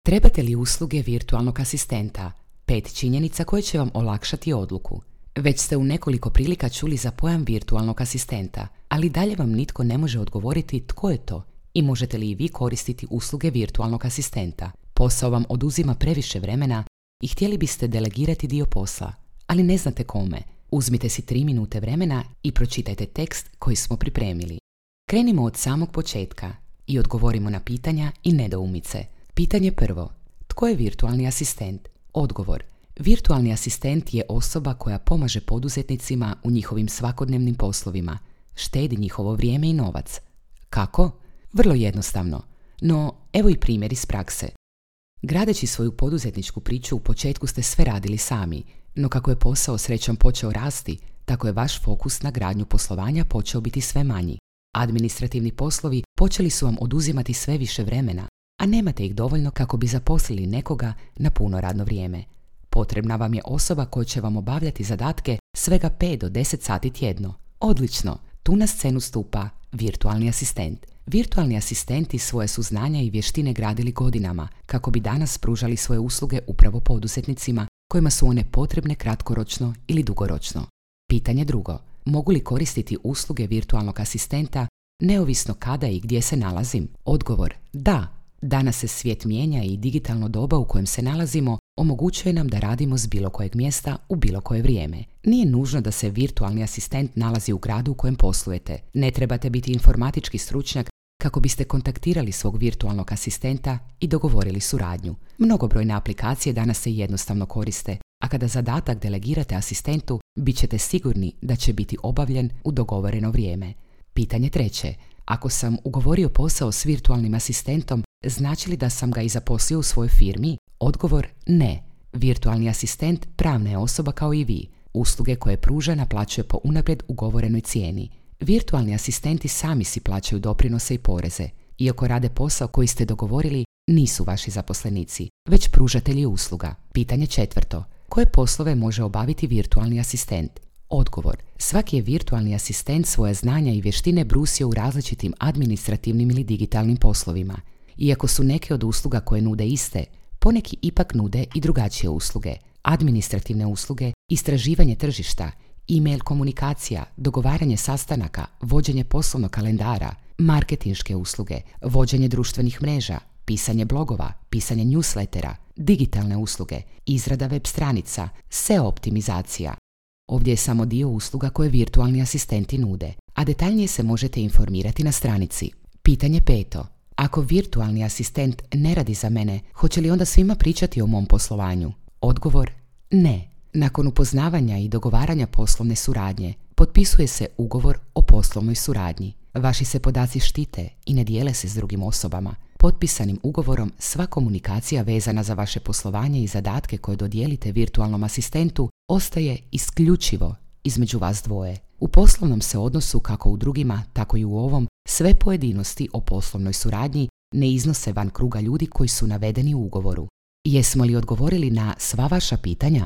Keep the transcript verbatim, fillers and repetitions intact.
Trebate li usluge virtualnog asistenta? Pet činjenica koje će vam olakšati odluku. Već ste u nekoliko prilika čuli za pojam virtualnog asistenta, ali dalje vam nitko ne može odgovoriti tko je to i možete li i vi koristiti usluge virtualnog asistenta. Posao vam oduzima previše vremena i htjeli biste delegirati dio posla, ali ne znate kome. Uzmite si tri minute vremena i pročitajte tekst koji smo pripremili. Krenimo od samog početka i odgovorimo na pitanja i nedoumice. Pitanje prvo. Tko je virtualni asistent? Odgovor. Virtualni asistent je osoba koja pomaže poduzetnicima u njihovim svakodnevnim poslovima, štedi njihovo vrijeme i novac. Kako? Vrlo jednostavno. No, evo i primjer iz prakse. Gradeći svoju poduzetničku priču u početku ste sve radili sami, no kako je posao srećom počeo rasti, tako je vaš fokus na gradnju poslovanja počeo biti sve manji. Administrativni poslovi počeli su vam oduzimati sve više vremena, a nemate ih dovoljno kako bi zaposlili nekoga na puno radno vrijeme. Potrebna vam je osoba koja će vam obavljati zadatke svega pet do deset sati tjedno. Odlično, tu na scenu stupa virtualni asistent. Virtualni asistenti svoje su znanja i vještine gradili godinama kako bi danas pružali svoje usluge upravo poduzetnicima kojima su one potrebne kratkoročno ili dugoročno. Pitanje drugo. Mogu li koristiti usluge virtualnog asistenta neovisno kada i gdje se nalazim? Odgovor. Da. Danas se svijet mijenja i digitalno doba u kojem se nalazimo omogućuje nam da radimo s bilo kojeg mjesta u bilo koje vrijeme. Nije nužno da se virtualni asistent nalazi u gradu u kojem poslujete. Ne trebate biti informatički stručnjak kako biste kontaktirali svog virtualnog asistenta i dogovorili suradnju. Mnogobrojne aplikacije danas se jednostavno koriste, a kada zadatak delegirate asistentu, bit ćete sigurni da će biti obavljen u dogovoreno vrijeme. Pitanje treće. Ako sam ugovorio posao s virtualnim asistentom, znači li da sam ga i zaposlio u svojoj firmi? Odgovor ne. Virtualni asistent pravna je osoba kao i vi. Usluge koje pruža naplaćuje po unaprijed ugovorenoj cijeni. Virtualni asistenti sami si plaćaju doprinose i poreze. Iako rade posao koji ste dogovorili, nisu vaši zaposlenici, već pružatelji usluga. Pitanje četvrto. Koje poslove može obaviti virtualni asistent? Odgovor. Svaki je virtualni asistent svoje znanja i vještine brusio u različitim administrativnim ili digitalnim poslovima. Iako su neke od usluga koje nude iste, poneki ipak nude i drugačije usluge. Administrativne usluge, istraživanje tržišta, e-mail komunikacija, dogovaranje sastanaka, vođenje poslovnog kalendara, marketinške usluge, vođenje društvenih mreža, pisanje blogova, pisanje newslettera, digitalne usluge, izrada web stranica, S E O optimizacija. Ovdje je samo dio usluga koje virtualni asistenti nude, a detaljnije se možete informirati na stranici. Pitanje peto. Ako virtualni asistent ne radi za mene, hoće li onda svima pričati o mom poslovanju? Odgovor. Ne. Nakon upoznavanja i dogovaranja poslovne suradnje, potpisuje se ugovor o poslovnoj suradnji. Vaši se podaci štite i ne dijele se s drugim osobama. Potpisanim ugovorom sva komunikacija vezana za vaše poslovanje i zadatke koje dodijelite virtualnom asistentu ostaje isključivo između vas dvoje. U poslovnom se odnosu, kako u drugima, tako i u ovom, sve pojedinosti o poslovnoj suradnji ne iznose van kruga ljudi koji su navedeni u ugovoru. Jesmo li odgovorili na sva vaša pitanja?